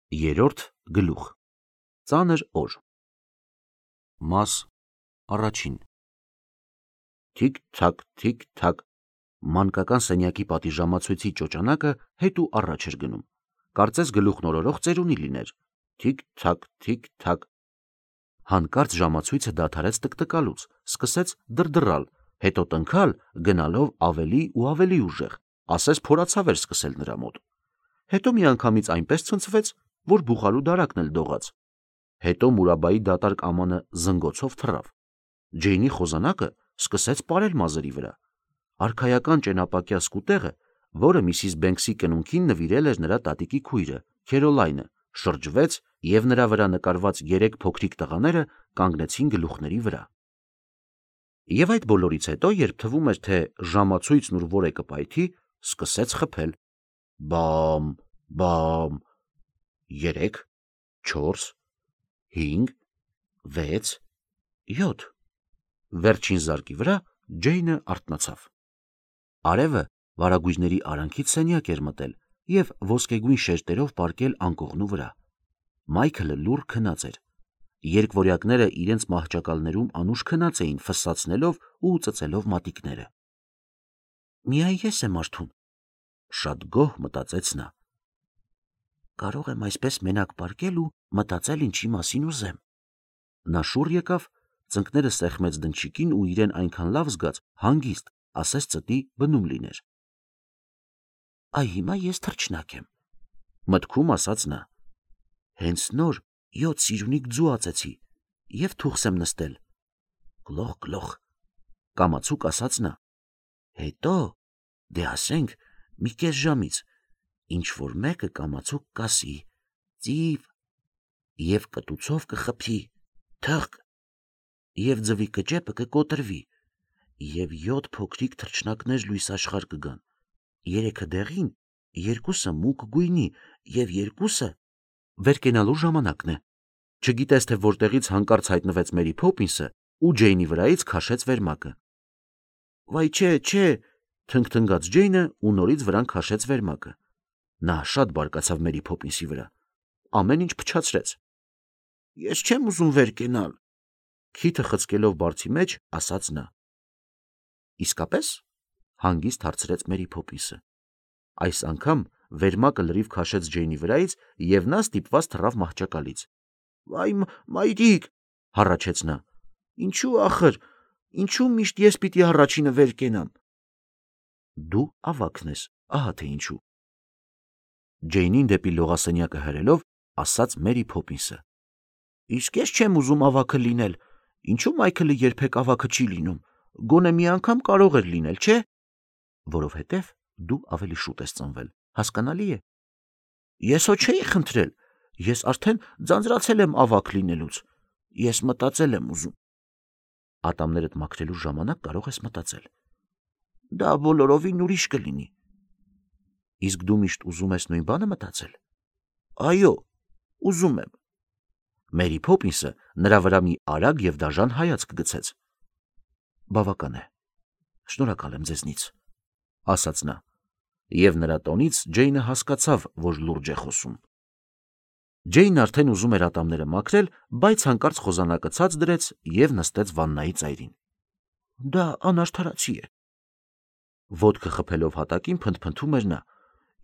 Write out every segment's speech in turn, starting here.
Երրորդ գլուխ Ծանր օր Մաս առաջին Թիք-թակ, մանկական սենյակի պատիժամացույցի ճոճանակը հետ ու առաջ էր գնում, կարծես գլուխն օրորող ծերունի լիներ, թիք-թակ, հանկարծ ժամացույցը դադարեց տկտկալուց, սկսեց դրդռալ, հետո տնքալ, գնալով ավելի ու ավելի ուժեղ, ասես փորացավ էր սկսել նրա մոտ, հետո միանգամից այնպես ցնցվեց, որ բուխարու դարակն էլ դողաց, հետո Մուրաբայի դատարկ ամանը զնգոցով թռավ, Ջեյնի խոզանակը սկսեց պարել մազերի վրա, արքայական ճենապակյա սկուտեղը, որը Միսիս Բենքսի կնունքին նվիրել էր նրա տատիկի քույրը, Քերոլայնը, շրջվեց և նրա վրա նկարված 3 փոքրիկ տղաները կանգնեցին գլուխների վրա։ Եվ այդ բոլորից հետո, երբ թվում էր, թե ժամացույցն ուր որ է կպայթի, սկսեց խփել. բամ, բամ, 3, 4, 5, 6, 7, վերջին զարկի վրա Ջեյնը արթնացավ։ Արևը վարագույրների արանքից սենյակ էր մտել և ոսկեգույն շերտերով պառկել անկողնու վրա։ Մայքլը լուռ քնած էր։ Երկվորյակները իրենց մահճակալներում անուշ քնած էին, ֆսսացնելով ու ծծելով մատիկները։ Միայն ես եմ արթուն, շատ գոհ մտածեց նա։ Կարող եմ այսպես մենակ պառկել ու մտածել ինչի մասին ուզեմ։ Նա շուռ եկավ, ծնկները սեղմեց դնչիկին ու իրեն այնքան լավ զգաց, հանգիստ, ասես ծտի բնում լիներ։ Այ հիմա ես թռչնակ եմ, մտքում ասաց նա։ Հենց նոր 7 սիրունիկ ձու ածեցի և թուխս եմ նստել։ Գլոխ, կամացուկ ասաց նա։ Հետո, դե ասենք, մի կես ժամից, ինչ որ մեկը կամացուկ կասի, ծիվ, և կտուցով կխփի, թըղկ, և ձվի կճեպը կկոտրվի, և 7 փոքրիկ թռչնակներ լույս աշխարհ կգան, 3-ը դեղին, 2-ը մուգ գույնի, և 2-ը վեր կենալու ժամանակն է։ Չգիտես, թե որտեղից հանկարծ հայտնվեց Մերի Փոփինսը ու Ջեյնի վրայից քաշեց վերմակը։ Վայ չէ, թնգթնգաց Ջեյնը ու նորից վրան քաշեց վերմակը։ Նա շատ բարկացավ Մերի Փոփինսի վրա, ամեն ինչ փչացրեց։ Ես չեմ ուզում վեր կենալ, քիթը խցկելով բարձի մեջ, ասաց նա։ Իսկապես, հանգիստ հարցրեց Մերի Փոփինսը։ Այս անգամ վերմակը լրիվ քաշեց Ջեյնի վրայից և նա ստիպված թռավ մահճակալից։ Վայ մայրիկ, հառաչեց նա։ Ինչու ախր, ինչու միշտ ես պիտի առաջինը վեր կենամ։ Դու ավագն ես, ահա թե ինչու։ Ջեյնին դեպի լողասենյակը հրելով, ասաց Մերի Փոփինսը։ Իսկ ես չեմ ուզում ավագը լինել, ինչու Մայքլը երբեք ավագը չի լինում, գոնե մի անգամ կարող էր լինել, չէ։ Որովհետև դու ավելի շուտ ես ծնվել, հասկանալի է։ Ես հո չէի խնդրել, ես արդեն ձանձրացել եմ ավագ լինելուց, ես մտածել եմ ուզում։ Ատամներդ մաքրելու ժամանակ կարող ես մտածել։ Դա բոլորովին ուրիշ կլինի։ Իսկ դու միշտ ուզում ես նույն բանը մտածել։ Այո, ուզում եմ։ Մերի Փոփինսը նրա վրա մի արագ և դաժան հայացք գցեց։ Բավական է, շնորհակալ եմ ձեզնից, ասաց նա, և նրա տոնից Ջեյնը հասկացավ, որ լուրջ է խոսում։ Ջեյնն արդեն ուզում էր ատամները մաքրել, բայց հանկարծ խոզանակը ցած դրեց և նստեց վաննայի ծայրին։ Դա անարդարացի է։ Ոտքը խփելով հատակին փնթփնթում էր նա։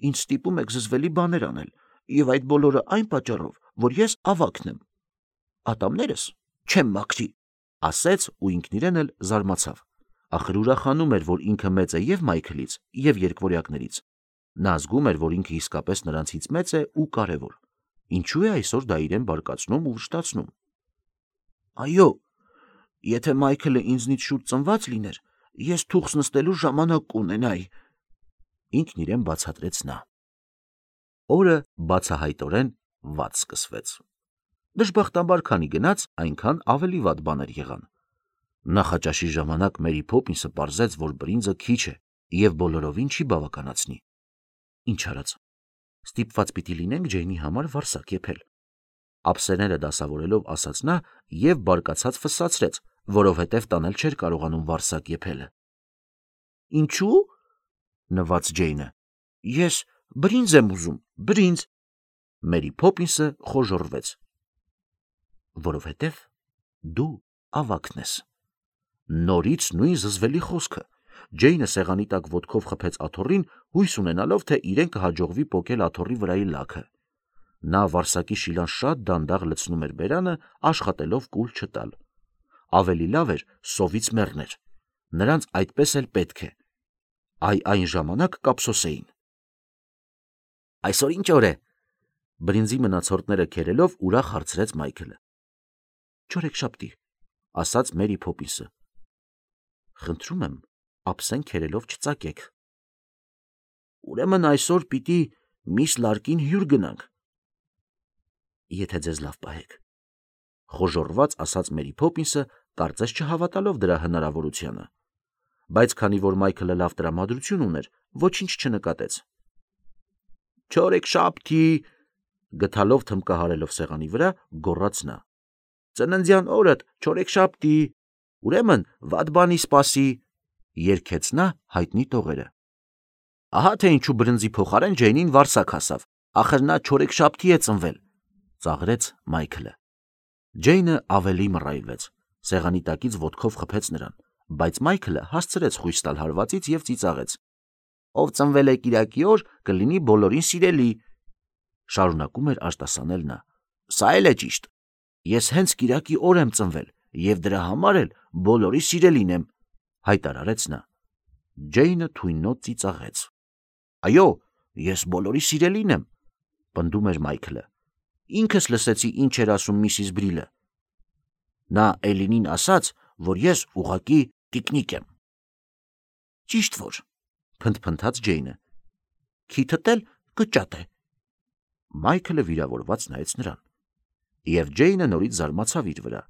Ինձ ստիպում եք զզվելի բաներ անել, և այդ բոլորը այն պատճառով, որ ես ավագն եմ։ Ատամներս չեմ մաքրի, ասեց ու ինքն իրեն էլ զարմացավ։ Ախր ուրախանում էր, որ ինքը մեծ է և Մայքլից, և երկվորյակներից։ Նա զգում էր, որ ինքը իսկապես նրանցից մեծ է ու կարևոր։ Ինչու է այսօր դա իրեն բարկացնում ու վշտացնում։ Այո, եթե Մայքլը ինձնից շուտ ծնված լիներ, ես թուխս նստելու ժամանակ կունենայի, ինքն իրեն բացատրեց նա։ Օրը բացահայտորեն վատ սկսվեց։ Դժբախտաբար քանի գնաց, այնքան ավելի վատ բաներ եղան։ Նախաճաշի ժամանակ Մերի Փոփինսը պարզեց, որ բրինձը քիչ է և բոլորովին չի բավականացնի։ Ինչ արած, ստիպված պիտի լինենք Ջեյնի համար վարսակ եփել։ Ափսեները դասավորելով ասաց նա և բարկացած ֆսսացրեց, որովհետև տանել չէր կարողանում վարսակ եփելը։ Ինչու՞, նվաց Ջեյնը։ Ես բրինձ եմ ուզում, բրինձ։ Մերի Փոփինսը խոժոռվեց։ Որովհետև դու ավագն ես։ Նորից նույն զզվելի խոսքը։ Ջեյնը սեղանի տակ ոտքով խփեց աթոռին, հույս ունենալով, թե իրեն կհաջողվի պոկել աթոռի վրայի լաքը։ Նա վարսակի շիլան շատ դանդաղ լցնում էր բերանը, աշխատելով կուլ չտալ։ Ավելի լավ էր սովից մեռներ։ Նրանց այդպես էլ պետք է։ Այն ժամանակ կափսոսեին։ Այսօր ինչ օր է։ Բրինձի մնացորդները քերելով ուրախ հարցրեց Մայքլը։ Չորեքշաբթի, ասաց Մերի Փոփինսը։ Խնդրում եմ, ափսեն քերելով չծակեք։ Ուրեմն այսօր պիտի միս Լարկին հյուր գնանք։ Եթե ձեզ լավ պահեք, խոժոռված ասաց Մերի Փոփինսը, կարծես չհավատալով դրա հնարավորությանը, բայց քանի որ Մայքլը լավ տրամադրություն ուներ, ոչինչ չնկատեց։ Չորեքշաբթի, գթալով թմկահարելով սեղանի վրա, գոռաց նա։ Ծննդյան օրդ չորեքշաբթի, ուրեմն վատ բանի սպասի, երգեց նա հայտնի տողերը։ Ահա թե ինչու բրնձի փոխարեն Ջեյնին վարսակ հասավ, ախր նա չորեքշաբթի է ծնվել, ծաղրեց Մայքլը։ Ջեյնը ավելի մռայլվեց, սեղանի տակից ոտքով խփեց նրան, բայց Մայքլը հասցրեց խույս տալ հարվածից եւ ծիծաղեց։ Ով ծնվել է կիրակի օր, կլինի բոլորին սիրելի, շարունակում էր արտասանել նա։ Սա էլ է ճիշտ։ Ես հենց կիրակի օր եմ ծնվել եւ դրա համար էլ բոլորի սիրելին եմ, հայտարարեց նա։ Ջեյնը թույնոտ ծիծաղեց։ Այո, ես բոլորի սիրելին եմ, պնդում էր Մայքլը։ Ինքս լսեցի ինչ էր ասում Միսիս Բրիլը։ Նա Էլինին ասաց, որ ես ուղղակի տիկնիկ եմ։ Ճիշտ որ, փնթփնթաց Ջեյնը։ Քիթդ էլ կճատ է։ Մայքլը վիրավորված նայեց նրան։ Եվ Ջեյնը նորից զարմացավ իր վրա։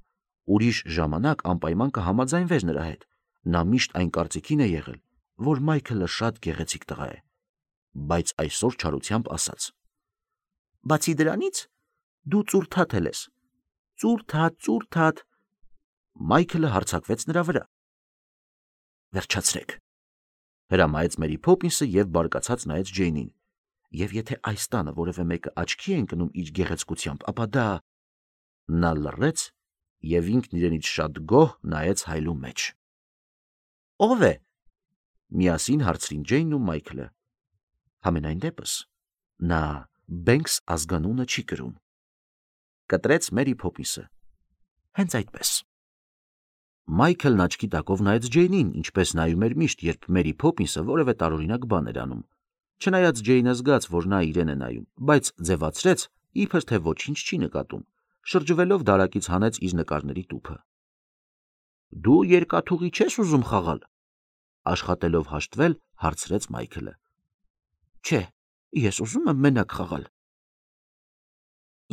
Ուրիշ ժամանակ անպայման կհամաձայնվեր նրա հետ։ Նա միշտ այն կարծիքին է եղել, որ Մայքլը շատ գեղեցիկ տղա է, բայց այսօր չարությամբ ասաց. Բացի դրանից, դու ծուրթաթ ես։ Ծուրթաթ։ Մայքլը հարձակվեց նրա վրա։ Վերջացրեք, հրամայեց Մերի Փոփինսը եւ բարկացած նայեց Ջեյնին։ Եվ եթե այս տանը որևէ մեկը աչքի է ընկնում իր գեղեցկությամբ, ապա դա… Նա լռեց եւ ինքն իրենից շատ գոհ նայեց հայլու մեջ։ Ո՞վ է։ Միասին հարցրին Ջեյնն ու Մայքլը։ Համենայն դեպս, նա Բենքս ազգանունը չի կրում, կտրեց Մերի Փոփինսը։ Հենց այդպես։ Մայքլն աչքի տակով նայեց Ջեյնին, ինչպես նայում էր միշտ, երբ Մերի Փոփինսը որևէ տարօրինակ բան էր անում։ Չնայած Ջեյնը զգաց, որ նա իրեն է նայում, բայց ձևացրեց, իբր թե ոչինչ չի նկատում, շրջվելով դարակից հանեց իր նկարների տուփը։ Դու երկաթուղի չես ուզում խաղալ, աշխատելով հաշտվել, հարցրեց Մայքլը։ Չէ, ես ուզում եմ մենակ խաղալ։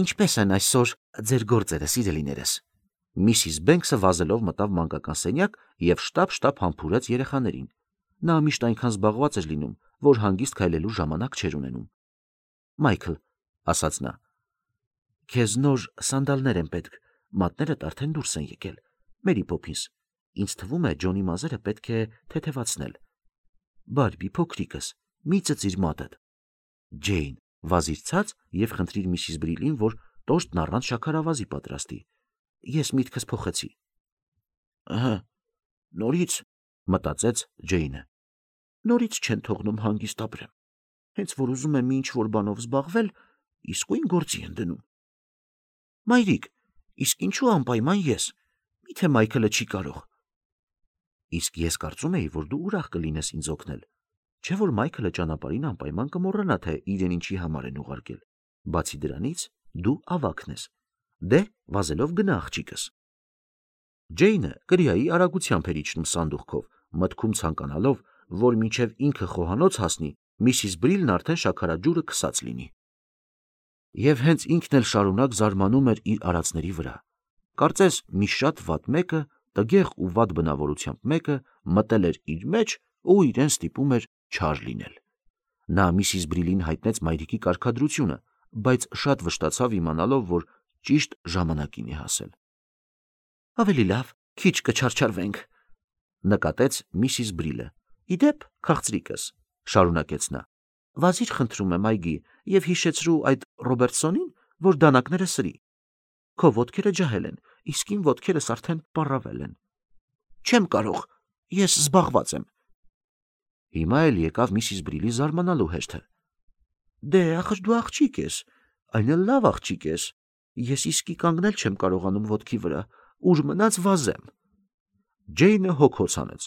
Ինչպես են այսօր ձեր գործերը, սիրելիներս։ Միսիս Բենքսը վազելով մտավ մանկական սենյակ եւ շտապ համբուրեց երեխաներին։ Նա միշտ այնքան զբաղված էր լինում, որ հանգիստ քայլելու ժամանակ չէր ունենում։ Մայքլ, ասաց նա, քեզ նոր սանդալներ են պետք, մատներդ արդեն դուրս են եկել։ Մերի Փոփինս, ինձ թվում է Ջոնի մազերը պետք է թեթևացնել։ Բարբի փոքրիկս, մի ծծիր մատդ։ Ջեյն, վազիր ցած եւ խնդրիր Միսիս Բրիլին, որ տորտն առանց շաքարավազի պատրաստի։ Ես միտքս փոխեցի։ Ահա, նորից, մտածեց Ջեյնը։ Նորից չեն թողնում հանգիստ ապրեմ։ Հենց որ ուզում եմ ինչ-որ բանով զբաղվել, իսկույն գործի են դնում։ Մայրիկ, իսկ ինչու անպայման ես։ Միթե Մայքլը չի կարող։ Իսկ ես կարծում էի, որ դու ուրախ կլինես ինձ օգնել։ Չէ՞ որ Մայքլը ճանապարհին անպայման կմոռանա, թե իրեն ինչի համար են ուղարկել։ Բացի դրանից, դու ավագն ես։ Դե, վազելով գնա աղջիկս։ Ջեյնը կրիայի արագությամբ էր իջնում սանդուղքով, մտքում ցանկանալով, որ մինչև ինքը խոհանոց հասնի, Միսիս Բրիլն արդեն շաքարաջուրը քսած լինի։ Եվ հենց ինքն էլ շարունակ զարմանում էր իր արածների վրա։ Կարծես մի շատ վատ մեկը, տգեղ ու վատ բնավորությամբ մեկը մտել էր իր մեջ ու իրեն ստիպում էր չար լինել։ Նա Միսիս Բրիլին հայտնեց մայրիկի կարգադրությունը, բայց շատ վշտացավ իմանալով, որ ճիշտ ժամանակին է հասել։ Ավելի լավ, քիչ կչարչարվենք, նկատեց Միսիս Բրիլը։ Իդեպ, քաղցրիկս, շարունակեց նա, Վազիր խնդրում եմ այգի եւ հիշեցրու այդ Ռոբերտսոնին, որ դանակները սրի։ Քո ոտքերը ջահել են, իսկ իմ ոտքերս արդեն պառավել են։ Չեմ կարող, ես զբաղված եմ։ Հիմա էլ եկավ Միսիս Բրիլի զարմանալու հերթը։ Դե, ախր դու աղջիկ ես, այն էլ լավ աղջիկ ես։ Ես իսկի կանգնել չեմ կարողանում ոտքի վրա, ուր մնաց վազեմ։ Ջեյնը հոգոց անեց։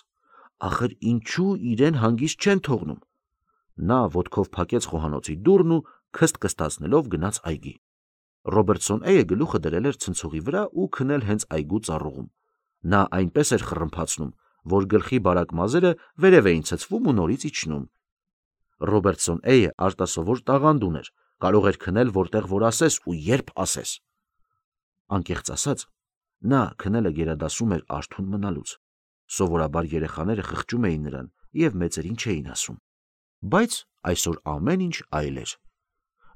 Ախր ինչու իրեն հանգիստ չեն թողնում։ Նա ոտքով փակեց խոհանոցի դուռն ու քստ-քստացնելով գնաց այգի։ Ռոբերտսոն Էյը գլուխը դրել էր ցնցուղի վրա ու քնել հենց այգու ծառուղում։ Նա այնպես էր խռմփացնում, որ գլխի բարակ մազերը վերև էին ցցվում ու նորից իջնում։ Ռոբերտսոն Էյը արտասովոր տաղանդ ուներ, կարող էր քնել որտեղ որ ասես ու երբ ասես։ Անկեղծ ասած, նա քնելը գերադասում էր արթուն մնալուց։ Սովորաբար երեխաները խղճում էին նրան եւ մեծերին չէին ասում։ Բայց այսօր ամեն ինչ այլ էր։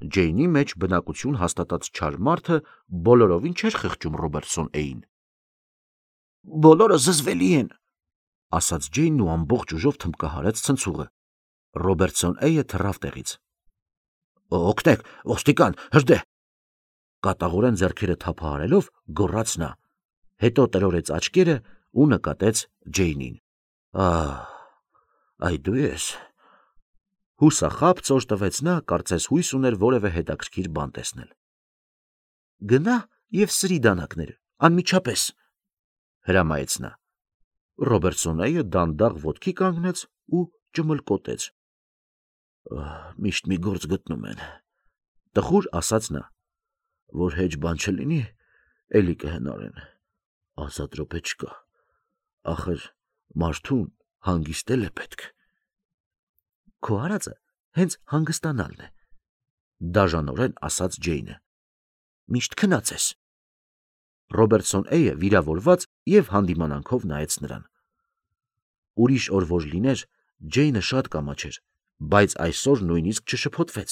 Ջեյնի մեջ բնակություն հաստատած չար մարդը բոլորովին չէր խղճում Ռոբերտսոն Էյին։ Բոլորը զզվելի են, ասաց Ջեյնն ու ամբողջ ուժով թմբկահարեց ցնցուղը։ Ռոբերտսոն Էյը թռավ տեղից։ Օգնեք, ոստիկան, հրդե։ Կատաղորեն ձեռքերը թափահարելով գոռաց նա։ Հետո տրորեց աչքերը ու նկատեց Ջեյնին։ Այ դու ես։ Հուսախաբ ծոր տվեց նա, կարծես հույս ուներ որևէ հետաքրքիր բան տեսնել։ Գնա եւ սրի դանակները, անմիջապես, հրամայեց նա։ Ռոբերտսոն Էյը դանդաղ ոտքի կանգնեց ու ճմլկոտեց։ Միշտ մի գործ գտնում են, տխուր ասաց նա, որ հեչ բան չլինի, էլի կհնարեն, ազատ րոպե չկա, ախր մարդուն հանգիստել է պետք։ Քո արածը հենց հանգստանալն է, դաժանորեն ասաց Ջեյնը։ Միշտ քնած ես։ Ռոբերտսոն Էյը վիրավորված եւ հանդիմանանքով նայեց նրան։ Ուրիշ օր որ լիներ, Ջեյնը շատ կամաչեր, բայց այսօր նույնիսկ չշփոթվեց։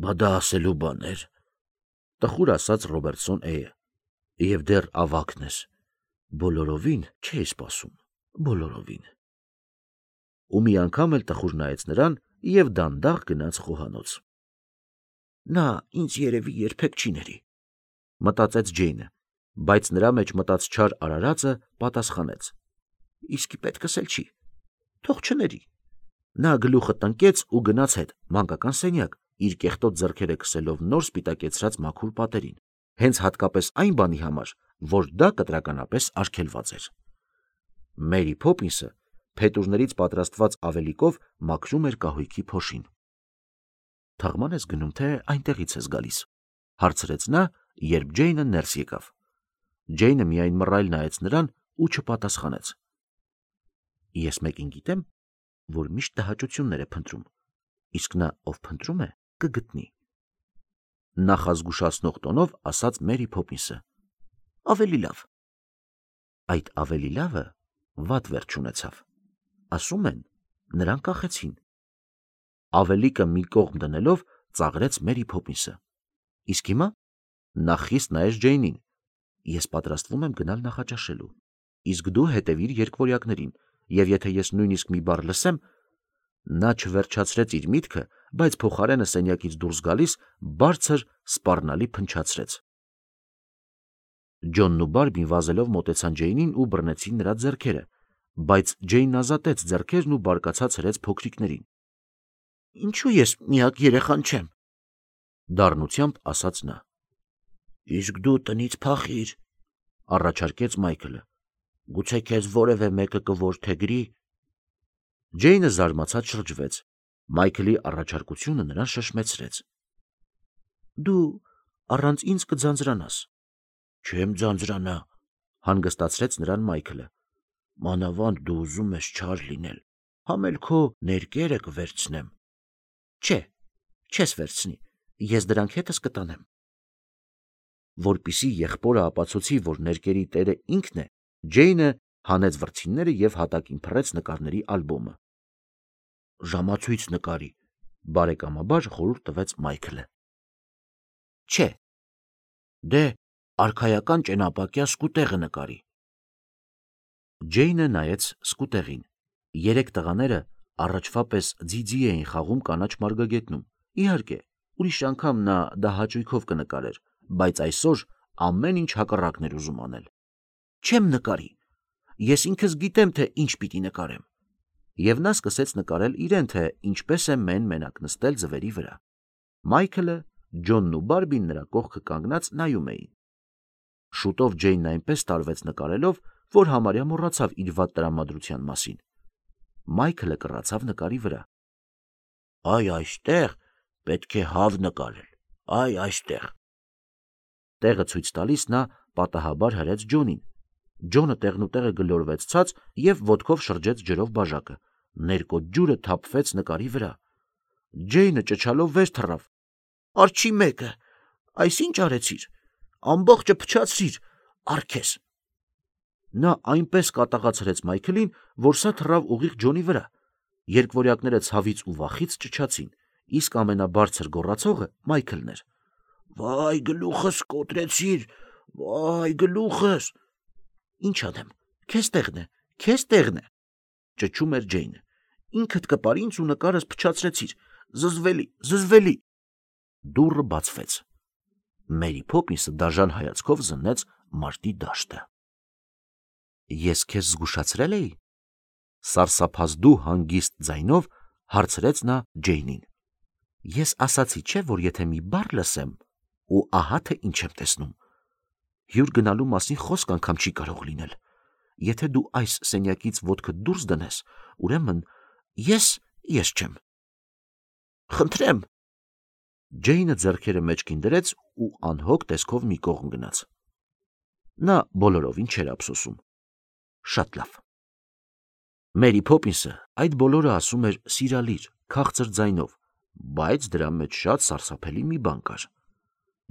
Բա դա ասելու բան էր, տխուր ասաց Ռոբերտսոն Էյը, եւ դեռ ավակն ես, բոլորովին չէի սպասում, բոլորովին։ Ու մի անգամ էլ տխուր նայեց նրան եւ դանդաղ գնաց խոհանոց։ Նա ինձ երևի երբեք չի ների, մտածեց Ջեյնը, բայց նրա մեջ մտած չար արարածը պատասխանեց. Իսկի պետքս էլ չի, թող չների։ Նա գլուխը տնկեց ու գնաց հետ մանկական սենյակ, իր կեղտոտ ձեռքերը քսելով նոր սպիտակեցրած մաքուր պատերին, հենց հատկապես այն բանի համար, որ դա կտրականապես արգելված էր։ Մերի Փոփինսը փետուրներից պատրաստված ավելիկով մաքրում էր կահույքի փոշին։ Թաղման ես գնում, թե այնտեղից ես գալիս, հարցրեց նա, երբ Ջեյնը ներս եկավ։ Ջեյնը միայն մռայլ նայեց նրան ու չպատասխանեց։ Ես մեկին գիտեմ, որ միշտ տհաճություններ է փնտրում, իսկ նա, ով փնտրում է, կգտնի։ Նախազգուշացնող տոնով ասաց Մերի Փոփինսը։ Ավելի լավ։ Այդ ավելի լավը վատ վերջ ունեցավ։ Ասում են, նրան կախեցին։ Ավելիկը մի կողմ դնելով ծաղրեց Մերի Փոփինսը։ Իսկ հիմա նա խիստ նայեց Ջեյնին։ Ես պատրաստվում եմ գնալ նախաճաշելու, իսկ դու հետևիր երկվորյակներին, եւ եթե ես նույնիսկ մի բառ լսեմ, նա չվերջացրեց իր միտքը, բայց փոխարենը սենյակից դուրս գալիս բարձր սպառնալի փնչացրեց։ Ջոնն ու Բարբին վազելով մոտեցան Ջեյնին ու բռնեցին նրա ձեռքերը, բայց Ջեյնն ազատեց ձեռքերն ու բարկացած հրեց փոքրիկներին։ Ինչու ես միակ երեխան չեմ, դառնությամբ ասաց նա։ Իսկ դու տնից փախիր, առաջարկեց Մայքլը։ Գուցե քեզ որևէ մեկը կորդեգրի։ Ջեյնը զարմացած շրջվեց։ Մայքլի առաջարկությունը նրան շշմեցրեց։ Դու առանց ինձ կձանձրանաս։ Չեմ ձանձրանա, հանգստացրեց նրան Մայքլը։ Մանավանդ դու ուզում ես չար լինել, համել քո ներկերը կվերցնեմ։ Չէ, չես վերցնի, ես դրանք հետս կտանեմ։ Որպիսի եղբորը ապացուցի, որ ներկերի տերը ինքն է, Ջեյնը հանեց վրձինները եւ հատակին փռեց նկարների ալբոմը։ Ժամացույց նկարի, բարեկամաբար խորհուրդ տվեց Մայքլը։ Չէ, դե արքայական ճենապակյա սկուտեղը նկարի։ Ջեյնը նայեց սկուտեղին։ Երեք տղաները Առաջվա պես ձիձի էին խաղում կանաչ մարգագետնում։ Իհարկե, ուրիշ անգամ նա դա հաճույքով կնկարեր, բայց այսօր ամեն ինչ հակառակն էր ուզում անել։ Չեմ նկարի։ Ես ինքս գիտեմ, թե ինչ պիտի նկարեմ։ Եվ նա սկսեց նկարել իրեն, թե ինչպես է մեն-մենակ նստել ձվերի վրա։ Մայքլը, Ջոնն ու Բարբին նրա կողքը կանգնած նայում էին։ Շուտով Ջեյնն այնպես տարվեց նկարելով, որ համարյա մոռացավ իր վատ տրամադրության մասին։ Մայքլը կռացավ նկարի վրա։ Այ այստեղ պետք է հավ նկարել, այ այստեղ։ Տեղը ցույց տալիս նա պատահաբար հրեց Ջոնին։ Ջոնը տեղնուտեղը գլորվեց ցած և ոտքով շրջեց ջրով բաժակը։ Ներկոտ ջուրը թափվեց նկարի վրա։ Ջեյնը ճչալով վեր թռավ։ Արջի մեկը, այս ինչ արեցիր, ամբողջը փչացրիր, արքես։ Նա այնպես կատաղացրեց Մայքլին, որ սա թռավ ուղիղ Ջոնի վրա։ Երկվորյակները ցավից ու վախից ճչացին, իսկ ամենաբարձր գոռացողը Մայքլն էր։ Վայ գլուխս կոտրեցիր, վայ գլուխս։ Ինչ անեմ, քեզ տեղն է, ճչում էր Ջեյնը։ Ինքդ կպար ինձ ու նկարս փչացրեցիր, զզվելի։ Դուռը բացվեց։ Մերի Փոփինսը դաժան հայացքով զննեց մարտի դաշտը։ Ես քեզ զգուշացրել էի։ Սարսափազդու հանգիստ ձայնով հարցրեց նա Ջեյնին։ Ես ասացի չէ, որ եթե մի բառ լսեմ, ու ահա թե ինչ եմ տեսնում։ Հյուր գնալու մասին խոսք անգամ չի կարող լինել։ Եթե դու այս սենյակից ոտքդ դուրս դնես, ուրեմն ես չեմ։ Խնդրեմ։ Ջեյնը ձեռքերը մեջքին դրեց ու անհոգ տեսքով մի կողմ գնաց։ Նա բոլորովին չէր ափսոսում։ Շատ լավ։ Մերի Փոփինսը այդ բոլորը ասում էր սիրալիր, քաղցր ձայնով, բայց դրա մեջ շատ սարսափելի մի բան կար։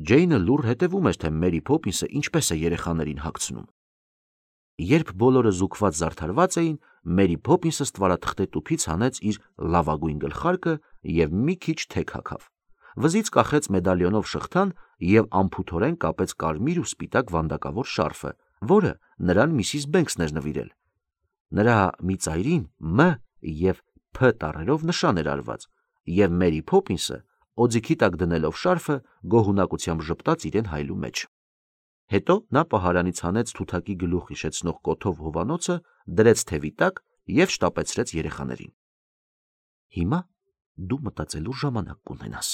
Ջեյնը լուռ հետևում էր, թե Մերի Փոփինսը ինչպես է երեխաներին հագցնում։ Երբ բոլորը զուգված զարդարված էին, Մերի Փոփինսը ստվարաթղթե տուփից հանեց իր լավագույն գլխարկը և մի քիչ թեք հագավ։ Վզից կախեց մեդալիոնով շղթան և անփութորեն կապեց կարմիր ու սպիտակ վանդակավոր շարֆը, որը նրան Միսիս Բենքսն էր նվիրել։ Նրա մի ծայրին «M» և «P» տառերով նշան էր արված, և Մերի Փոփինսը, օձիքի տակ դնելով շարֆը, գոհունակությամբ ժպտաց իրեն հայլու մեջ։ Հետո նա պահարանից հանեց թութակի գլուխ հիշեցնող կոթով հովանոցը, դրեց թևի տակ և շտապեցրեց երեխաներին։ Հիմա դու մտածելու ժամանակ կունենաս,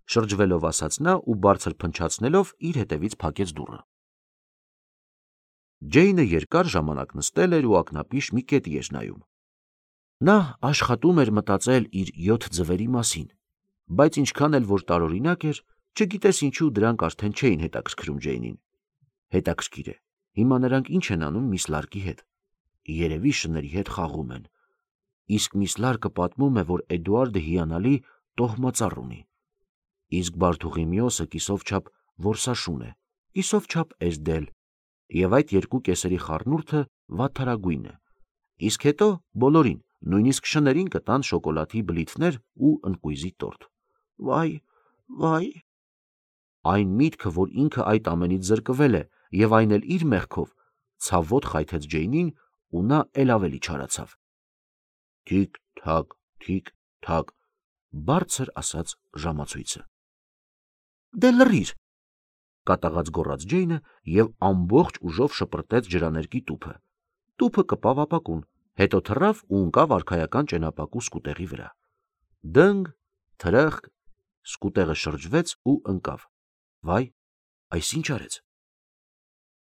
շրջվելով ասաց նա ու բարձր փնչացնելով իր հետևից փակեց դուռը։ Ջեյնը երկար ժամանակ նստել էր ու ակնապիշ մի կետի էր նայում։ Նա աշխատում էր մտածել իր 7 ձվերի մասին, բայց ինչքան էլ որ տարօրինակ էր, չգիտես ինչու դրանք արդեն չէին հետաքրքրում Ջեյնին։ Հետաքրքիր է, հիմա նրանք ինչ են անում միս Լարկի հետ։ Երևի շների հետ խաղում են։ Իսկ միս Լարկը պատմում է, որ Էդուարդը հիանալի տոհմածառ ունի։ Իսկ Բարթուղիմեոսը կիսով չափ որսաշուն է, կիսով չափ էսդել, և այդ երկու կեսերի խառնուրդը վատթարագույն է։ Իսկ հետո բոլորին, նույնիսկ շներին կտան շոկոլադի բլիթներ ու ընկույզի տորտ։ Վայ։ Այն միտքը, որ ինքը այդ ամենից զրկվել է, և այն էլ իր մեղքով, ցավոտ խայթեց Ջեյնին, ու նա էլ ավելի չարացավ։ Թիք-թակ, բարձր ասաց ժամացույցը։ Դե լռիր, կատաղած գոռաց Ջեյնը և ամբողջ ուժով շպրտեց ջրաներկի տուփը։ Տուփը կպավ ապակուն, հետո թռավ ու ընկավ արքայական ճենապակու սկուտեղի վրա։ Դնգ, թրախկ, սկուտեղը շրջվեց ու ընկավ։ Վայ, այս ինչ արեց։